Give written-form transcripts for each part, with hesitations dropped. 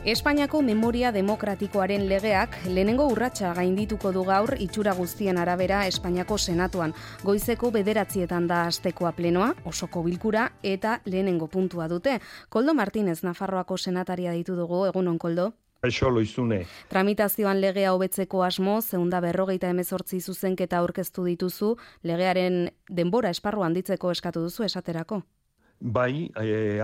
Espainiako memoria demokratikoaren legeak lehenengo urratsa gaindituko du gaur itxura guztien arabera Espainiako Senatuan. Goizeko 9:00 da astekoa plenoa, osoko bilkura eta lehenengo puntua dute. Koldo Martínez Nafarroako senataria deitu dugu, egunon Koldo. Kaixo Loizune. Tramitazioan legea hobetzeko asmo, 258 zuzenketa aurkeztu dituzu, legearen denbora esparrua handitzeko eskatu duzu esaterako. Bai,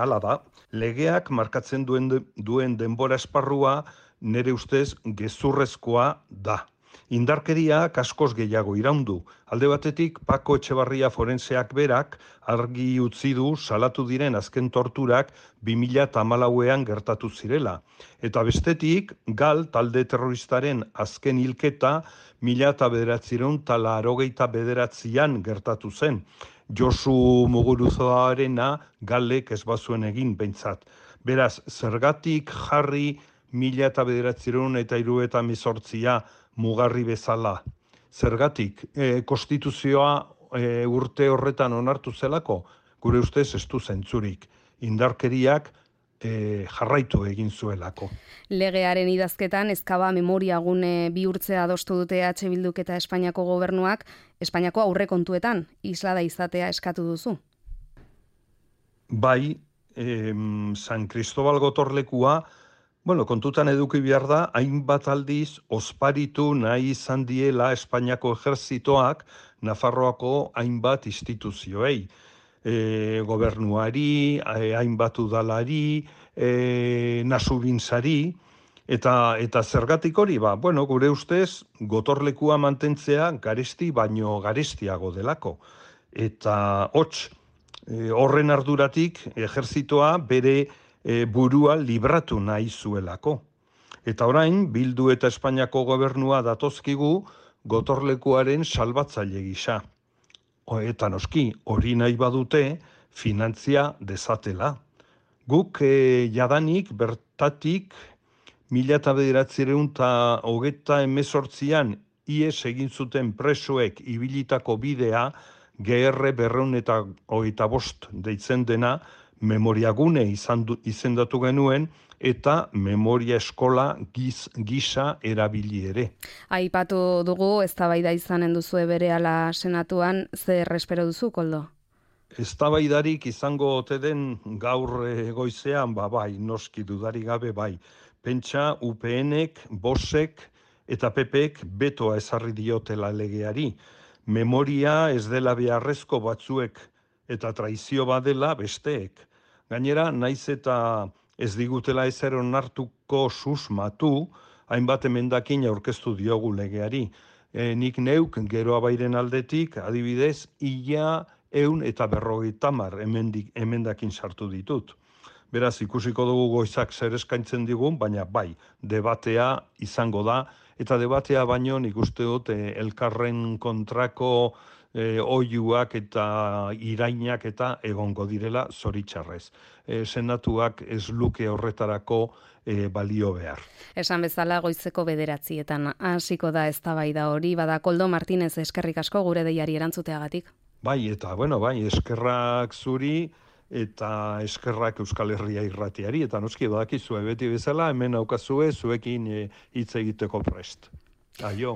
hala da. Legeak markatzen duen denbora esparrua nire ustez gezurrezkoa da. Indarkeriak askoz gehiago iraundu. Alde batetik, Pako Etxebarria forenseak berak argi utzi du salatu diren azken torturak 2014ean gertatu zirela. Eta bestetik, Gal talde terroristaren azken hilketa 1989an gertatu zen. Josu Muguruzaarena Galek ez bazuen egin behintzat. Beraz, zergatik jarri 1978a mugarri bezala? Zergatik, konstituzioa urte horretan onartu zelako, gure ustez ez du zentzurik. Indarkeriak jarraitu egin zuelako. Legearen idazketan ezkaba memoriagune bihurtzea adostu dute EH Bilduk eta Espainiako gobernuak, Espainiako aurrekontuetan islada izatea eskatu duzu. Bai, San Cristobal gotorlekua, kontutan eduki behar da, hainbat aldiz osparitu nahi izan diela Espainiako ejerzitoak Nafarroako hainbat instituzioei. Gobernuari, hainbat udalari, Nasubintzari, eta zergatik hori, gure ustez, gotorlekua mantentzea garesti baino garestiago delako. Eta horren arduratik ejerzitoa bere burua libratu nahi zuelako. Eta orain, Bildu eta Espainiako gobernua datozkigu gotorlekuaren salbatzaile gisa. Eta noski, hori nahi badute, finantzia dezatela. Guk jadanik bertatik 1928an ies egin zuten presoek ibilitako bidea GR 225 deitzen dena memoriagune izendatu genuen eta memoria eskola gisa erabili ere. Aipatu dugu, eztabaida izanen duzu berehala senatuan, zer espero duzu, Koldo? Eztabaidarik izango ote den gaur goizean, bai, noski dudari gabe bai. Pentsa UPNek, Bosek eta PPek betoa ezarri diotela legeari. Memoria ez dela beharrezko batzuek eta traizio badela besteek. Gainera, naiz eta ez digutela ezer onartuko susmatu, hainbat emendakin aurkeztu diogu legeari. Nik neuk Geroa Bairen aldetik, adibidez, 150 emendakin sartu ditut. Beraz, ikusiko dugu goizak zer eskaintzen digun, baina bai, debatea izango da, eta debatea baino nik uste dut elkarren kontrako oihuak eta irainak eta egongo direla zoritxarrez. Senatuak ez luke horretarako balio behar. Esan bezala goizeko 9:00 hasiko da eztabaida hori, bada Koldo Martínez eskerrik asko gure deiari erantzuteagatik. Bai, eta eskerrak zuri eta eskerrak Euskal Herria irratiari, eta noski badakizue beti bezala, hemen aukazue zuekin hitz egiteko prest. Aio.